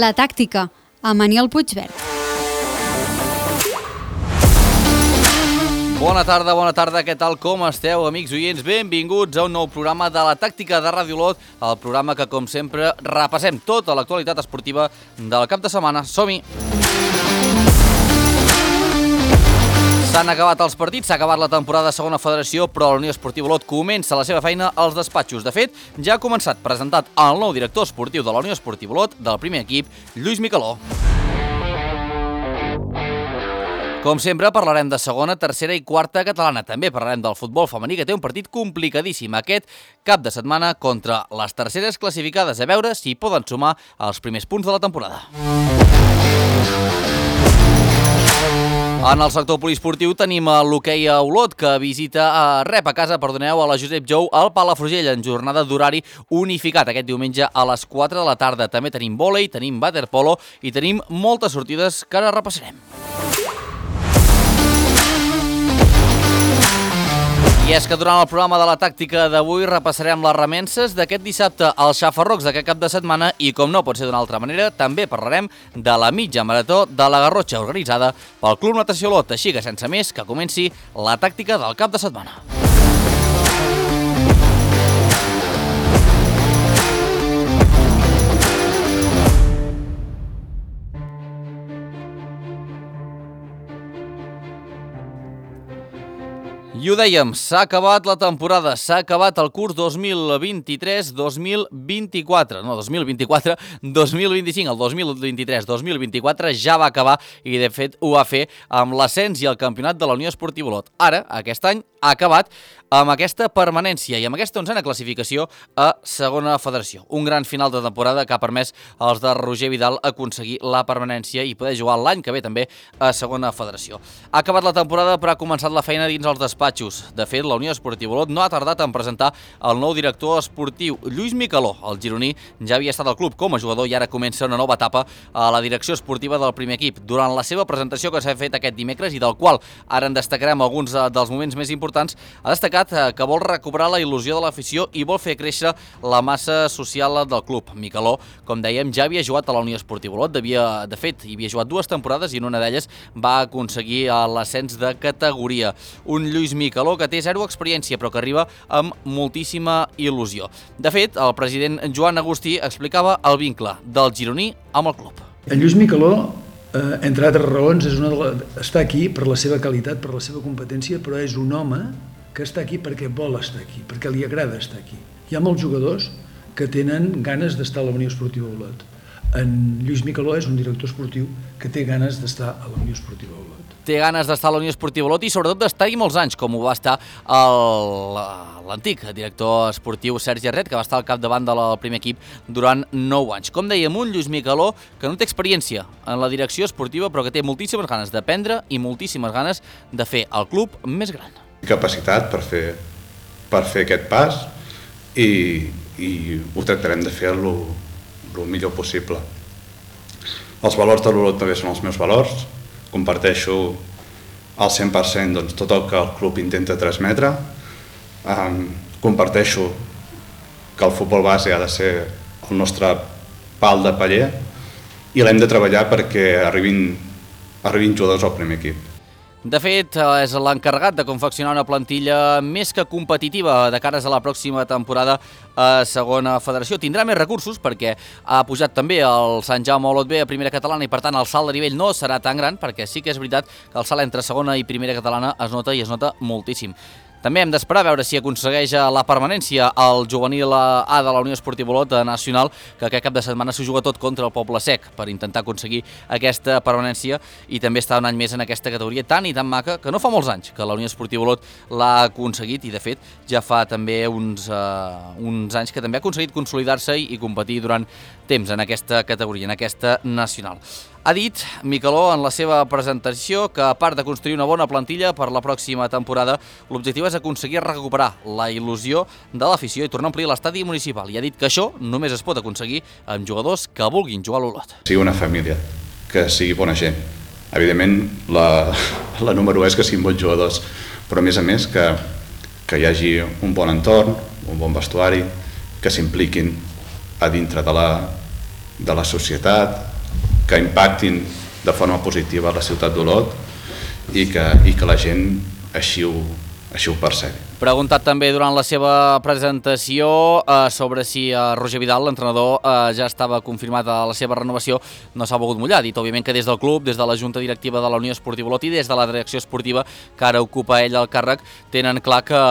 La tàctica, amb Aniol Puigverd. Bona tarda, què tal, com esteu, amics oients? Benvinguts a un nou programa de La Tàctica de Ràdio Olot, el programa que, com sempre, repassem tota l'actualitat esportiva del cap de setmana. Som-hi! S'han acabat els partits, s'ha acabat la temporada de segona federació, però la Unió Esportiva Olot comença la seva feina als despatxos. De fet, ja ha començat presentat el nou director esportiu de la Unió Esportiva Olot, del primer equip, Lluís Micaló. Com sempre, parlarem de segona, tercera i quarta catalana. També parlarem del futbol femení, que té un partit complicadíssim aquest cap de setmana contra les terceres classificades, a veure si poden sumar els primers punts de la temporada. En el sector poliesportiu tenim l'hoquei a Olot, que rep a casa a la Josep Jou al Palafrugell en jornada d'horari unificat aquest diumenge a les 4 de la tarda. També tenim vòlei, tenim waterpolo i tenim moltes sortides que ara repassarem. I és que durant el programa de La Tàctica d'avui repassarem les remences d'aquest dissabte als Xafarrocs d'aquest cap de setmana i, com no pot ser d'una altra manera, també parlarem de la mitja marató de la Garrotxa organitzada pel Club Natació Olot. Així que, sense més, que comenci La Tàctica del cap de setmana. I ho dèiem, s'ha acabat la temporada, s'ha acabat el curs 2023-2024, no, 2024-2025, el 2023-2024 ja va acabar i de fet ho va fer amb l'ascens i el campionat de la Unió Esportiva Olot. Ara, aquest any, ha acabat amb aquesta permanència i amb aquesta 11a classificació a segona federació. Un gran final de temporada que ha permès als de Roger Vidal aconseguir la permanència i poder jugar l'any que ve també a segona federació. Ha acabat la temporada però ha començat la feina dins els despatxos. De fet, la Unió Esportiva Olot no ha tardat en presentar el nou director esportiu, Lluís Micaló. El gironí ja havia estat al club com a jugador i ara comença una nova etapa a la direcció esportiva del primer equip. Durant la seva presentació que s'ha fet aquest dimecres i del qual ara en destacarem alguns dels moments més importants, ha destacat que vol recuperar la il·lusió de l'afició i vol fer créixer la massa social del club. Micaló, com dèiem, ja havia jugat a la Unió Esportiva Olot, de fet, hi havia jugat 2 temporades i en una d'elles va aconseguir l'ascens de categoria. Un Lluís Micaló que té 0 experiència però que arriba amb moltíssima il·lusió. De fet, el president Joan Agustí explicava el vincle del gironí amb el club. En Lluís Micaló, entre altres raons, està aquí per la seva qualitat, per la seva competència, però és un home que està aquí perquè vol estar aquí, perquè li agrada estar aquí. Hi ha molts jugadors que tenen ganes d'estar a la Unió Esportiva Olot. En Lluís Micaló és un director esportiu que té ganes d'estar a la Unió Esportiva Olot. Té ganes d'estar a la Unió Esportiva Olot i sobretot d'estar-hi molts anys, com ho va estar l'antic director esportiu Sergi Arret, que va estar al capdavant del primer equip durant 9 anys. Com dèiem, un Lluís Micaló que no té experiència en la direcció esportiva però que té moltíssimes ganes d'aprendre i moltíssimes ganes de fer el club més gran. Capacitat per fer aquest pas i ho tractarem de fer el millor possible. Els valors de l'Olot també són els meus valors, comparteixo al 100% tot el que el club intenta transmetre, comparteixo que el futbol base ha de ser el nostre pal de paller i l'hem de treballar perquè arribin jugadors al primer equip. De fet, és l'encarregat de confeccionar una plantilla més que competitiva de cares a la pròxima temporada a segona federació. Tindrà més recursos perquè ha pujat també el Sant Jaume Olot B a primera catalana i per tant el salt de nivell no serà tan gran perquè sí que és veritat que el salt entre segona i primera catalana es nota i es nota moltíssim. També hem d'esperar a veure si aconsegueix la permanència al juvenil A de la Unió Esportiva Olot nacional, que aquest cap de setmana s'ho juga tot contra el Poble Sec per intentar aconseguir aquesta permanència i també està un any més en aquesta categoria tan i tan maca que no fa molts anys que la Unió Esportiva Olot l'ha aconseguit i de fet ja fa també uns anys que també ha aconseguit consolidar-se i competir durant temps en aquesta categoria, en aquesta nacional. Ha dit Micaló en la seva presentació que a part de construir una bona plantilla per la pròxima temporada, l'objectiu és aconseguir recuperar la il·lusió de l'afició i tornar a omplir l'estadi municipal. I ha dit que això només es pot aconseguir amb jugadors que vulguin jugar a l'Olot. Sigui una família, que sigui bona gent. Evidentment, la número 1 és que siguin bons jugadors, però a més que hi hagi un bon entorn, un bon vestuari, que s'impliquin a dintre de la societat, que impactin de forma positiva a la ciutat d'Olot i que la gent així ho percebi. Preguntat també durant la seva presentació sobre si Roger Vidal, l'entrenador, ja estava confirmat a la seva renovació, no s'ha volgut mullar. Ha dit, òbviament, que des del club, des de la Junta Directiva de la Unió Esportiva Olot i des de la direcció esportiva, que ara ocupa ell el càrrec, tenen clar que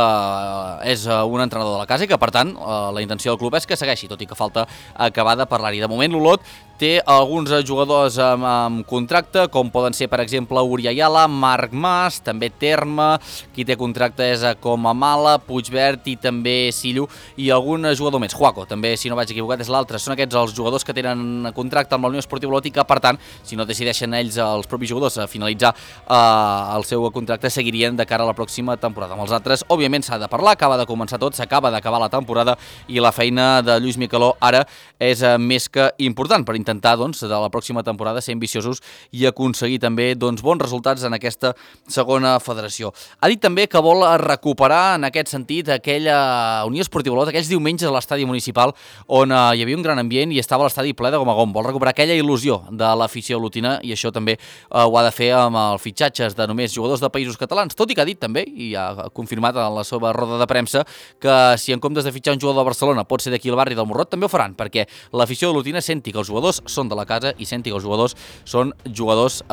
és un entrenador de la casa i que, per tant, la intenció del club és que segueixi, tot i que falta acabar de parlar-hi. De moment, l'Olot té alguns jugadors amb contracte, com poden ser, per exemple, Uri Ayala, Marc Mas, també Terma, qui té contracte és com a Mala, Puigverd i també Sillo, i algun jugador més. Juaco, també, si no vaig equivocat, és l'altre. Són aquests els jugadors que tenen contracte amb la Unió Esportiva Olot i que, per tant, si no decideixen ells, els propis jugadors, a finalitzar el seu contracte, seguirien de cara a la pròxima temporada. Amb els altres, òbviament, s'ha de parlar, acaba de començar tot, s'acaba d'acabar la temporada i la feina de Lluís Micheló ara és més que important per intentar, doncs, de la pròxima temporada ser ambiciosos i aconseguir també, doncs, bons resultats en aquesta segona federació. Ha dit també que vol recuperar, en aquest sentit, aquella Unió Esportiva Olot, aquells diumenges a l'estadi municipal on hi havia un gran ambient i estava l'estadi ple de gom a gom. Vol recuperar aquella il·lusió de l'afició olotina i això també ho ha de fer amb els fitxatges de només jugadors de països catalans, tot i que ha dit també, i ha confirmat en la seva roda de premsa, que si en comptes de fitxar un jugador de Barcelona pot ser d'aquí al barri del Morrot, també ho faran, perquè l'afició olotina senti que els jugadors són de la casa i senti que els jugadors són jugadors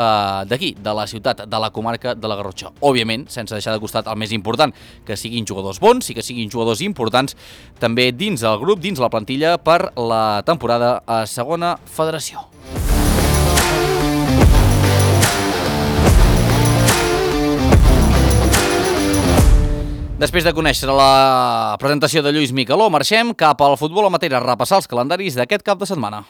d'aquí, de la ciutat, de la comarca de la Garrotxa. Òbviament, sense deixar de costat el més important, que siguin jugadors bons i que siguin jugadors importants també dins el grup, dins la plantilla per la temporada a segona federació. Després de conèixer la presentació de Lluís Micheló, marxem cap al futbol amateur a repassar els calendaris d'aquest cap de setmana.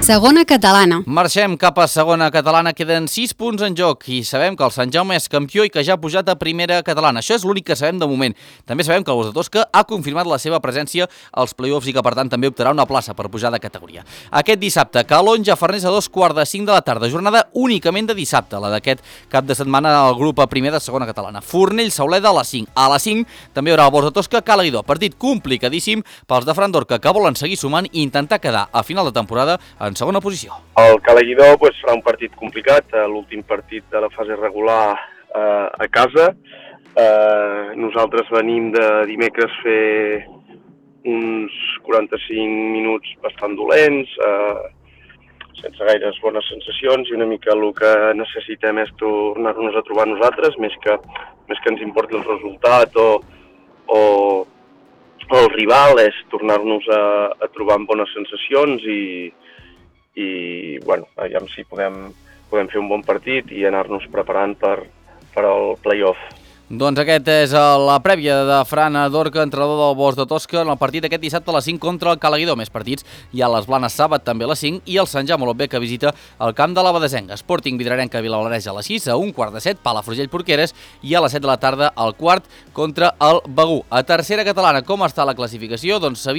Segona catalana. Marxem cap a segona catalana, queden 6 punts en joc i sabem que el Sant Jaume és campió i que ja ha pujat a primera catalana. Això és l'únic que sabem de moment. També sabem que el Bosc de Tosca ha confirmat la seva presència als play-offs i que per tant també optarà una plaça per pujar de categoria. Aquest dissabte, Calonja Farners a 2:45 de la tarda, jornada únicament de dissabte, la d'aquest cap de setmana al grup a primer de segona catalana. Fornell Sauleda a les 5. A les 5 també hi haurà el Bosc de Tosca Calaguidó, partit complicadíssim pels de Fran Dorca que volen seguir sumant i intentar quedar a final de temporada en segona posició. El Calaguidó farà un partit complicat, l'últim partit de la fase regular a casa. Nosaltres venim de dimecres fer uns 45 minuts bastant dolents, sense gaires bones sensacions, i una mica el que necessitem és tornar-nos a trobar nosaltres, més que ens importi el resultat o el rival, és tornar-nos a trobar amb bones sensacions i bueno, aviam si podem fer un bon partit i anar-nos preparant per al play-off. Doncs aquest és la prèvia de Fran Dorca, entrenador del Bosc de Tosca, en el partit aquest dissabte a les 5 contra el Calaguidó. Més partits hi ha les Blanes Sàbat també a les 5 i el Sant Jaume Olot B que visita el camp de la Badesenga. Sporting Vidrarenca Vilablareix a les 6, a 1:15, Palafrugell Porqueres i a les 7 de la tarda al quart contra el Begú. A tercera catalana, com està la classificació? Doncs a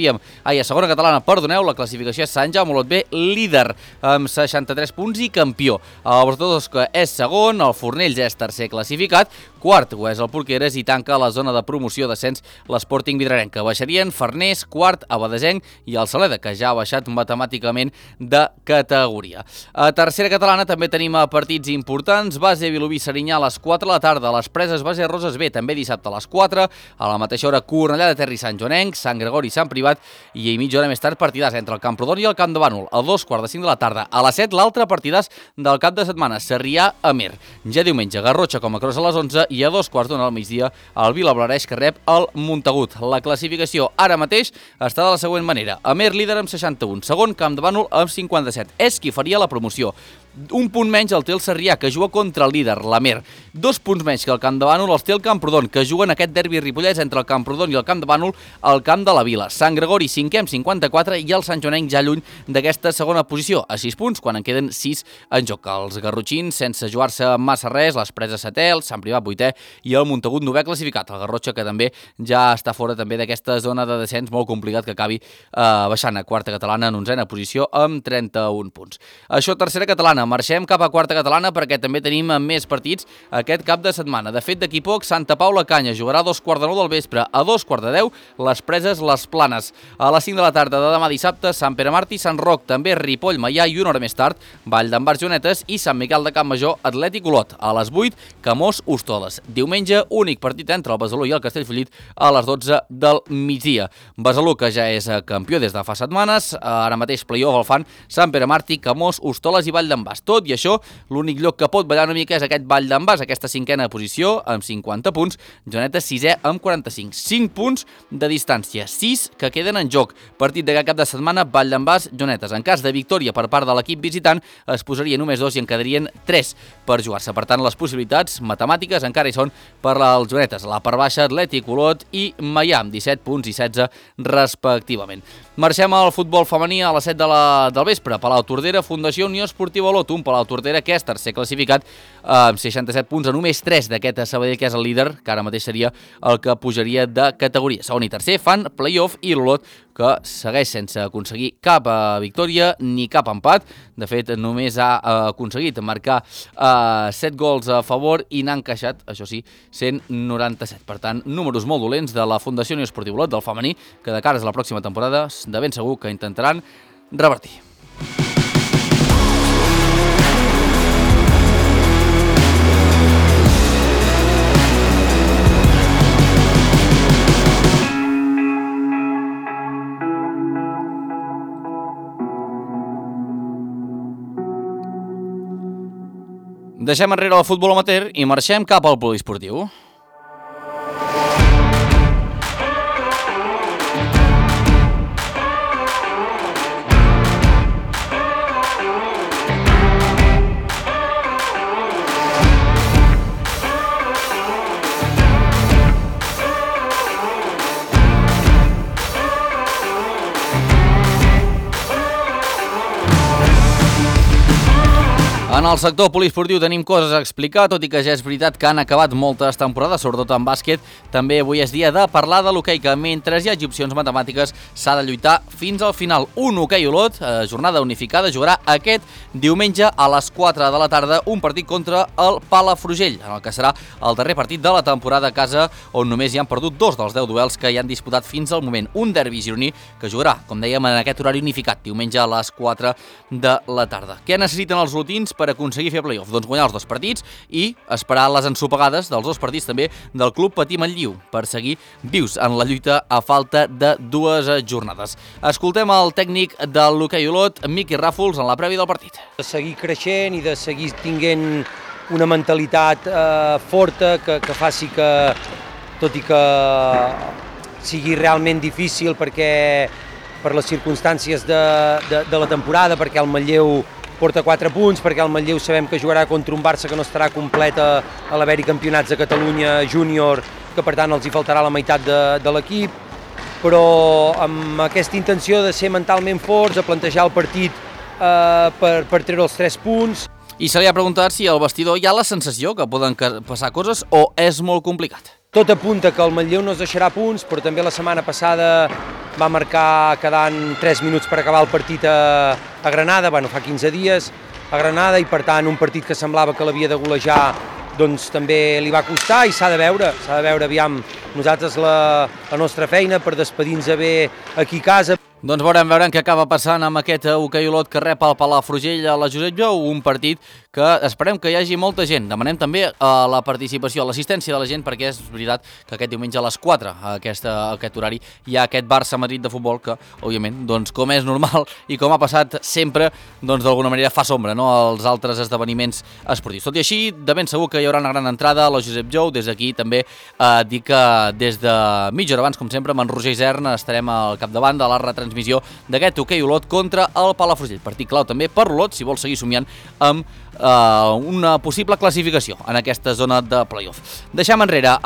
segona catalana, perdoneu, la classificació és Sant Jaume Olot B, líder amb 63 punts i campió. El Bosc de Tosca és segon, el Fornells és tercer classificat, quart ho és el Porqueres i tanca la zona de promoció d'ascens l'Sporting Vidrarenca. Baixarien Farners, quart, Abadesenc i el Saleda, que ja ha baixat matemàticament de categoria. A tercera catalana també tenim partits importants. Base Vilobí Serinyà a les 4 de la tarda, les Preses Base Roses B també dissabte a les 4, a la mateixa hora Cornellà de Ter i Sant Joanenc, Sant Gregori i Sant Privat i mitja hora més tard partidàs entre el Camprodon i el Camp de Bànol a 2:45 de la tarda. A les 7 l'altre partidàs del cap de setmana, Sarrià-Amer. Ja diumenge Garrotxa com a Cross a les 11 i a 2:15 al migdia el Vilablareix que rep el Montagut. La classificació ara mateix està de la següent manera. Amer líder amb 61, segon Camp de Bànol amb 57. És qui faria la promoció. Un punt menys el té el Sarrià, que juga contra el líder, l'Amer. 2 punts menys que el Camp de Bànol els té el Camprodon, que juguen aquest derbi ripollès entre el Camprodon i el Camp de Bànol al Camp de la Vila. Sant Gregori, 5è amb 54, i el Sant Joanenc ja lluny d'aquesta segona posició, a 6 punts, quan en queden 6 en joc. Els garrotxins, sense jugar-se massa res, les Preses 7è, el Sant Privat 8è i el Montagut 9è classificat. El Garrotxa, que també ja està fora també d'aquesta zona de descens, molt complicat que acabi baixant a quarta catalana en 11a posició amb 31 punts. Això, tercera catalana. Marxem cap a quarta catalana perquè també tenim més partits aquest cap de setmana. De fet, d'aquí poc, Santa Paula Canya jugarà a 2:45 del vespre. A 2:10, les Preses, les Planes. A les 5 de la tarda de demà dissabte, Sant Pere Martí, Sant Roc, també Ripoll, Maià, i una hora més tard, Vall d'en Bars, Jonetes i Sant Miquel de Campmajor, Atlètic Olot. A les 8, Camós, Hostoles. Diumenge, únic partit entre el Besalú i el Castellfollit a les 12 del migdia. Besalú, que ja és campió des de fa setmanes, ara mateix play-off el fan Sant Pere Martí, Camós, Hostoles i Vall d'en Bas. Tot i això, l'únic lloc que pot ballar una mica és aquest Vall d'en Bas, aquesta 5a posició amb 50 punts, Jonetes 6è amb 45. 5 punts de distància, 6 que queden en joc. Partit d'aquest cap de setmana, Vall d'en Bas, Jonetes. En cas de victòria per part de l'equip visitant, es posaria només 2 i en quedarien 3 per jugar-se. Per tant, les possibilitats matemàtiques encara hi són per als Jonetes. La part baixa, Atlètic, Olot i Maià, amb 17 punts i 16 respectivament. Marxem al futbol femení a les 7 del vespre. Palau Tordera, Fundació Unió Esportiva Olot. Un Palau Tordera que és tercer classificat amb 67 punts, a només 3 d'aquest Sabadell, que és el líder, que ara mateix seria el que pujaria de categoria. Segon i tercer fan play-off i l'Olot, que segueix sense aconseguir cap victòria ni cap empat. De fet, només ha aconseguit marcar 7 gols a favor i n'ha encaixat, això sí, 197. Per tant, números molt dolents de la Fundació Unió Esportiva Olot, del femení, que de cara a la pròxima temporada de ben segur que intentaran revertir. Deixem enrere el futbol amateur i marxem cap al poliesportiu. En el sector poliesportiu tenim coses a explicar, tot i que ja és veritat que han acabat moltes temporades, sobretot en bàsquet. També avui és dia de parlar de l'hoquei, que mentre hi hagi opcions matemàtiques s'ha de lluitar fins al final. Un hoquei Olot, jornada unificada, jugarà aquest diumenge a les 4 de la tarda un partit contra el Palafrugell, en el que serà el darrer partit de la temporada a casa, on només hi han perdut 2 dels 10 duels que hi han disputat fins al moment. Un derbi gironí que jugarà, com dèiem, en aquest horari unificat, diumenge a les 4 de la tarda. Què necessiten els olotins per aconseguir fer playoff? Doncs guanyar els 2 partits i esperar les ensopegades dels 2 partits també del Club Patí Manlleu per seguir vius en la lluita a falta de 2 jornades. Escoltem el tècnic de l'hoquei Olot, Miqui Ràfols, en la prèvia del partit. De seguir creixent i de seguir tinguent una mentalitat forta que faci que, tot i que sigui realment difícil perquè per les circumstàncies de la temporada, perquè el Manlleu porta 4 punts, perquè el Manlleu sabem que jugarà contra un Barça que no estarà complet a l'haver-hi campionats de Catalunya júnior, que per tant els hi faltarà la meitat de l'equip, però amb aquesta intenció de ser mentalment forts, a plantejar el partit per treure els 3 punts. I se li ha preguntat si al vestidor hi ha la sensació que poden passar coses o és molt complicat. Tot apunta que el Manlleu no es deixarà punts, però també la setmana passada va marcar quedant 3 minuts per acabar el partit a Granada, fa 15 dies a Granada, i per tant un partit que semblava que l'havia de golejar doncs també li va costar i s'ha de veure, aviam, nosaltres la nostra feina per despedir-nos bé aquí a casa. Doncs veurem què acaba passant amb aquest hoquei Olot que rep el Palafrugell a la Josep Jou, un partit que esperem que hi hagi molta gent. Demanem també la participació, l'assistència de la gent, perquè és veritat que aquest diumenge a les 4, a aquest horari, hi ha aquest Barça-Madrid de futbol que, òbviament, doncs, com és normal i com ha passat sempre, doncs d'alguna manera fa sombra, no?, als altres esdeveniments esportius. Tot i així, de ben segur que hi haurà una gran entrada a la Josep Jou. Des d'aquí també dic que des de mitja hora abans, com sempre, amb en Roger Isern estarem al capdavant de la retransmissió retransmissió d'aquest hoquei Olot contra el Palafrugell. Partit clau també per l'Olot si vol seguir somiant amb una possible classificació en aquesta zona de play-off. Deixem enrere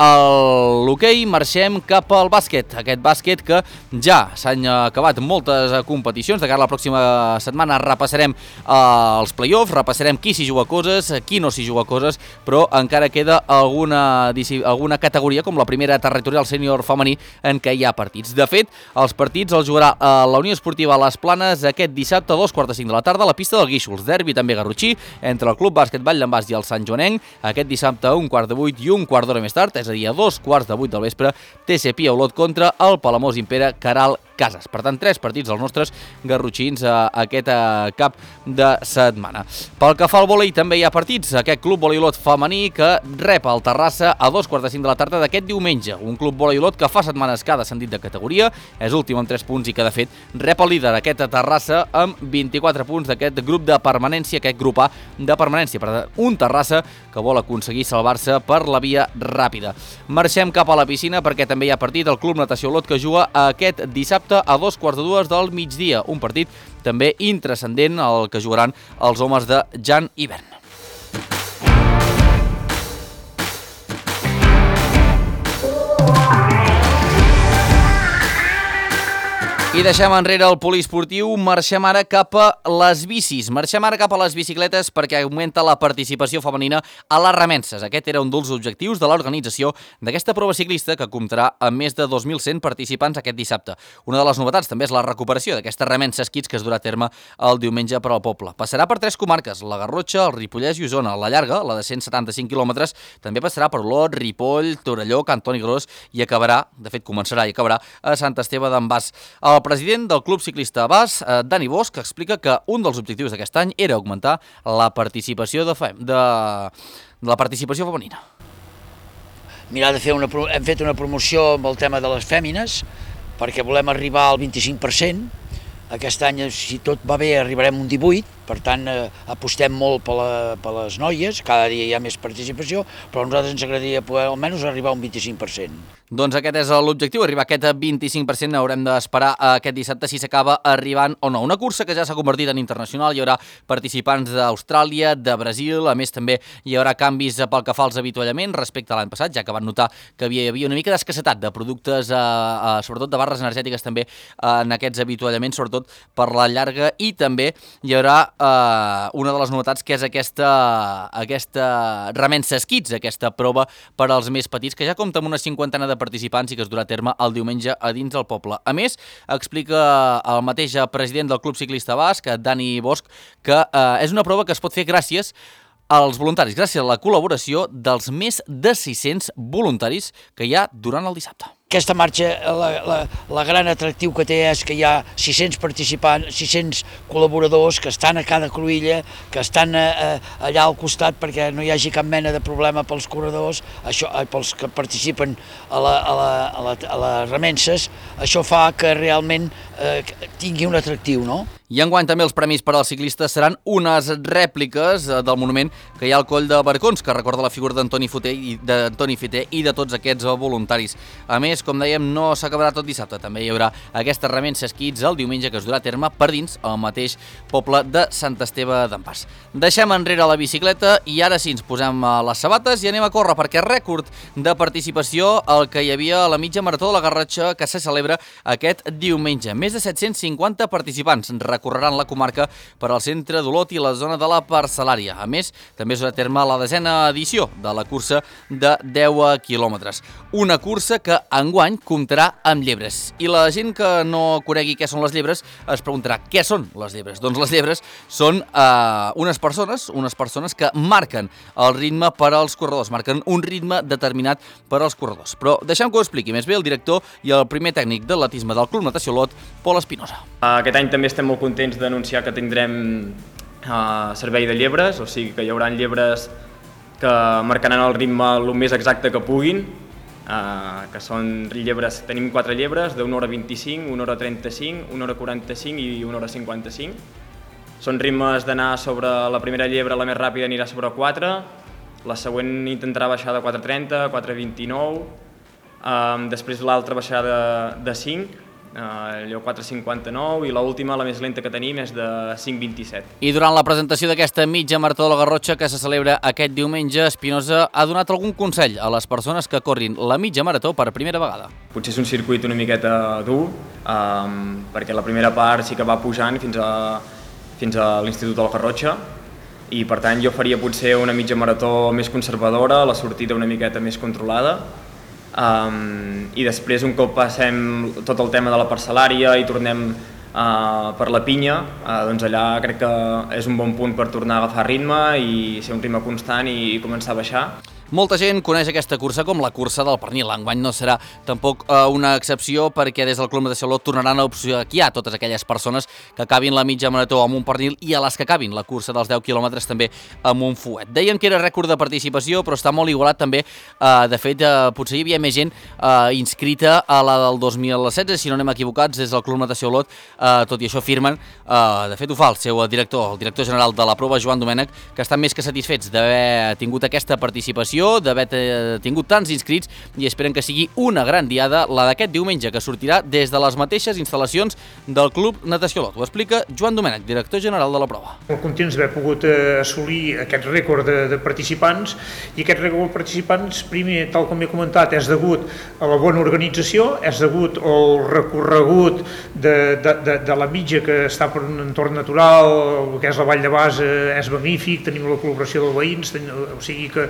l'hoquei, marxem cap al bàsquet. Aquest bàsquet que ja s'han acabat moltes competicions. De cara a la pròxima setmana repassarem els play-offs, repassarem qui s'hi juga coses, qui no s'hi juga coses, però encara queda alguna categoria, com la primera territorial sènior femení, en què hi ha partits. De fet, els partits els jugarà la Unió Esportiva Les Planes aquest dissabte a 2:45 de la tarda a la pista del Guíxols. Derbi també garrotxí entre el Club Bàsquet Vall d'en Bas i el Sant Joanenc, aquest dissabte a 7:15 i un quart d'hora més tard, és a dir, a 2:15 del vespre, TC Pia Olot contra el Palamós Impera Caral Cases. Per tant, 3 partits dels nostres garrotxins aquest cap de setmana. Pel que fa al vòlei, també hi ha partits. Aquest Club Vòlei Olot femení que rep el Terrassa a 2:45 de la tarda d'aquest diumenge. Un Club Vòlei Olot que fa setmanes que ha descendit de categoria, és últim amb 3 punts i que, de fet, rep el líder aquest Terrassa amb 24 punts d'aquest grup de permanència, aquest grup A de permanència. Per tant, un Terrassa que vol aconseguir salvar-se per la via ràpida. Marxem cap a la piscina perquè també hi ha partit. El Club Natació Olot que juga aquest dissabte a 2:15 del migdia. Un partit també intranscendent el que jugaran els homes de Jan Hivern. I deixem enrere el poliesportiu, marxem ara cap a les bicis. Marxem ara cap a les bicicletes perquè augmenta la participació femenina a les remenses. Aquest era un dels objectius de l'organització d'aquesta prova ciclista que comptarà amb més de 2.100 participants aquest dissabte. Una de les novetats també és la recuperació d'aquestes remenses kits que es durà a terme el diumenge per al poble. Passarà per 3 comarques, la Garrotxa, el Ripollès i Osona. La llarga, la de 175 quilòmetres, també passarà per Olot, Ripoll, Torelló, Cantoni Gros i acabarà, de fet començarà i acabarà, a Sant Esteve d'en Bas. El president del Club Ciclista Bas, Dani Bosch, explica que un dels objectius d'aquest any era augmentar la participació la participació femenina. Mirar de fer hem fet una promoció amb el tema de les fèmines perquè volem arribar al 25%. Aquest any, si tot va bé, arribarem un 18%, per tant apostem molt per les noies, cada dia hi ha més participació, però a nosaltres ens agradaria poder almenys arribar a un 25%. Doncs aquest és l'objectiu, arribar a aquest 25%. Haurem d'esperar aquest dissabte si s'acaba arribant o no. Una cursa que ja s'ha convertit en internacional, hi haurà participants d'Austràlia, de Brasil, a més també hi haurà canvis pel que fa als avituallaments respecte a l'any passat, ja que van notar que hi havia una mica d'escassetat de productes, sobretot de barres energètiques també en aquests avituallaments, sobretot per la llarga, i també hi haurà una de les novetats que és aquesta remenses kits, aquesta prova per als més petits, que ja compta amb una 50 de participants i que es durà a terme el diumenge a dins del poble. A més, explica el mateix president del Club Ciclista Basc, Dani Bosch, que és una prova que es pot fer gràcies als voluntaris, gràcies a la col·laboració dels més de 600 voluntaris que hi ha durant el dissabte. Aquesta marxa, la gran atractiu que té és que hi ha 600 participants, 600 col·laboradors que estan a cada cruïlla, que estan allà al costat perquè no hi hagi cap mena de problema pels corredors, pels que participen a les remenses. Això fa que realment tingui un atractiu, no? I enguany també els premis per als ciclistes seran unes rèpliques del monument que hi ha al Coll de Barcons, que recorda la figura d'Antoni Fiter i de tots aquests voluntaris. A més, com dèiem, no s'acabarà tot dissabte. També hi haurà aquestes remenses kits el diumenge que es durà a terme per dins el mateix poble de Sant Esteve d'en Bas. Deixem enrere la bicicleta i ara sí ens posem les sabates i anem a córrer, perquè rècord de participació el que hi havia a la mitja marató de la Garrotxa que se celebra aquest diumenge. Més de 750 participants recorreran la comarca per al centre d'Olot i la zona de la Parcel·lària. A més, també es durà a terme la 10ª edició de la cursa de 10 quilòmetres. Una cursa que enguany comptarà amb llebres. I la gent que no conegui què són les llebres es preguntarà què són les llebres. Doncs les llebres són unes persones que marquen el ritme per als corredors, marquen un ritme determinat per als corredors. Però deixem que ho expliqui més bé el director i el primer tècnic d'atletisme del Club Natació Olot, Pol Espinosa. Aquest any també estem molt contents d'anunciar que tindrem servei de llebres, o sigui que hi haurà llebres que marcaran el ritme el més exacte que puguin, que són llebres, tenim 4 llebres d'1 hora 25, 1 hora 35, 1 hora 45 i 1 hora 55. Són ritmes d'anar sobre la primera llebre, la més ràpida anirà sobre 4, la següent intentarà baixar de 4.30, 4.29, després l'altra baixarà de 5 allò 4.59, i l'última, la més lenta que tenim, és de 5.27. I durant la presentació d'aquesta mitja marató de la Garrotxa que se celebra aquest diumenge, Espinosa ha donat algun consell a les persones que corrin la mitja marató per primera vegada. Potser és un circuit una miqueta dur, perquè la primera part sí que va pujant fins a l'Institut de la Garrotxa, i per tant jo faria potser una mitja marató més conservadora, la sortida una miqueta més controlada, i després un cop passem tot el tema de la parcel·lària i tornem per la pinya, doncs allà crec que és un bon punt per tornar a agafar ritme i ser un ritme constant i començar a baixar. Molta gent coneix aquesta cursa com la cursa del pernil. Enguany no serà tampoc una excepció, perquè des del Club Natació Olot tornaran a obsequiar a totes aquelles persones que acabin la mitja marató amb un pernil i a les que acabin la cursa dels 10 quilòmetres també amb un fuet. Dèiem que era rècord de participació, però està molt igualat també. De fet, potser hi havia més gent inscrita a la del 2016, si no anem equivocats, des del Club Natació Olot. Tot i això afirmen, de fet ho fa el seu director, el director general de la prova, Joan Domènech, que estan més que satisfets d'haver tingut aquesta participació, d'haver tingut tants inscrits, i esperen que sigui una gran diada la d'aquest diumenge, que sortirà des de les mateixes instal·lacions del Club Natació Olot. Ho explica Joan Domènech, director general de la prova. Molt contents d'haver pogut assolir aquest rècord de participants, i aquest rècord de participants, primer, tal com he comentat, és degut a la bona organització, és degut al recorregut de la mitja, que està per un entorn natural, el que és la Vall de Basa és magnífic, tenim la col·laboració dels veïns, o sigui que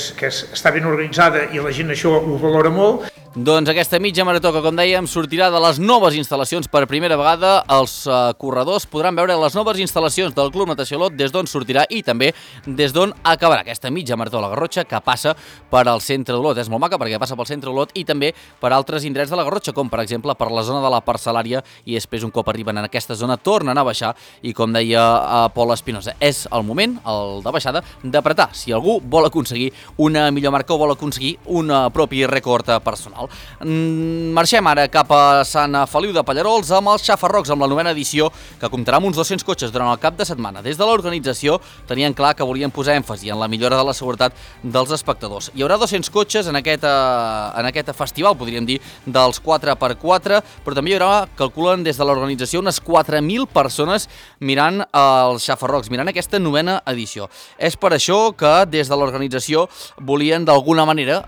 està ben organitzada i la gent això ho valora molt. Doncs aquesta mitja marató que, com dèiem, sortirà de les noves instal·lacions per primera vegada. Els corredors podran veure les noves instal·lacions del Club Natació Olot, des d'on sortirà i també des d'on acabarà aquesta mitja marató a la Garrotxa, que passa per al centre d'Olot. És molt maca perquè passa pel centre d'Olot i també per altres indrets de la Garrotxa, com per exemple per la zona de la parcel·lària, i després un cop arriben en aquesta zona tornen a baixar, i com deia Pol Espinosa, és el moment, el de baixada, d'apretar si algú vol aconseguir una millor marca o vol aconseguir un propi rècord personal. Marxem ara cap a Sant Feliu de Pallerols amb els Xafarrocs, amb la 9ª edició, que comptarà amb uns 200 cotxes durant el cap de setmana. Des de l'organització tenien clar que volien posar èmfasi en la millora de la seguretat dels espectadors. Hi haurà 200 cotxes en aquest festival, podríem dir, dels 4x4, però també hi haurà, calculen des de l'organització, unes 4.000 persones mirant els Xafarrocs, mirant aquesta 9ª edició. És per això que des de l'organització volien d'alguna manera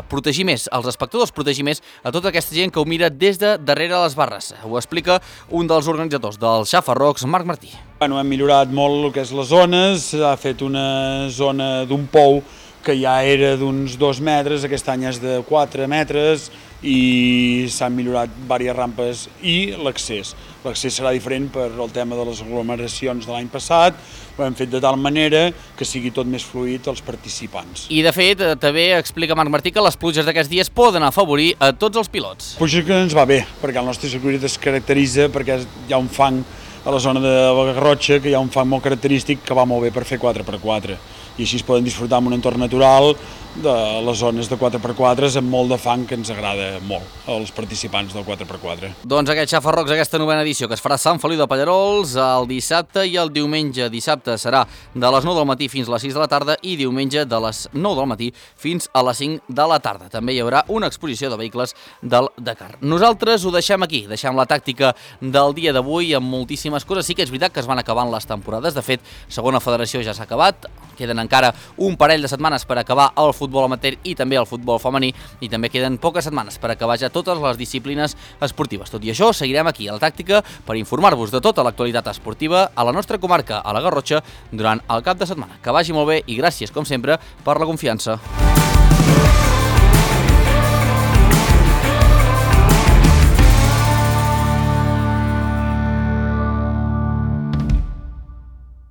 protegir més els espectadors, protegir més a tota aquesta gent que ho mira des de darrere les barres. Ho explica un dels organitzadors dels Xafarrocs, Marc Martí. Hem millorat molt el que és les zones, s'ha fet una zona d'un pou que ja era d'uns 2 metres, aquest any és de 4 metres, i s'han millorat diverses rampes, i l'accés. L'accés serà diferent per el tema de les aglomeracions de l'any passat. Ho hem fet de tal manera que sigui tot més fluid als participants. I de fet, també explica Marc Martí que les pluges d'aquests dies poden afavorir a tots els pilots. Pluja que ens va bé, perquè el nostre circuit es caracteritza perquè hi ha un fang a la zona de la Garrotxa, que hi ha un fang molt característic que va molt bé per fer 4x4. I així es poden disfrutar en un entorn natural de les zones de 4x4 amb molt de fang, que ens agrada molt als participants del 4x4. Doncs aquest Xafarrocs, aquesta 9ª edició, que es farà a Sant Feliu de Pallerols el dissabte i el diumenge. Dissabte serà de les 9 del matí fins a les 6 de la tarda i diumenge de les 9 del matí fins a les 5 de la tarda. També hi haurà una exposició de vehicles del Dakar. Nosaltres ho deixem aquí, deixem la tàctica del dia d'avui amb moltíssimes coses. Sí que és veritat que es van acabant les temporades, de fet, segona federació ja s'ha acabat, queden encara un parell de setmanes per acabar el futbol amateur i també el futbol femení, i també queden poques setmanes per acabar ja totes les disciplines esportives. Tot i això, seguirem aquí a la tàctica per informar-vos de tota l'actualitat esportiva a la nostra comarca, a la Garrotxa, durant el cap de setmana. Que vagi molt bé i gràcies, com sempre, per la confiança.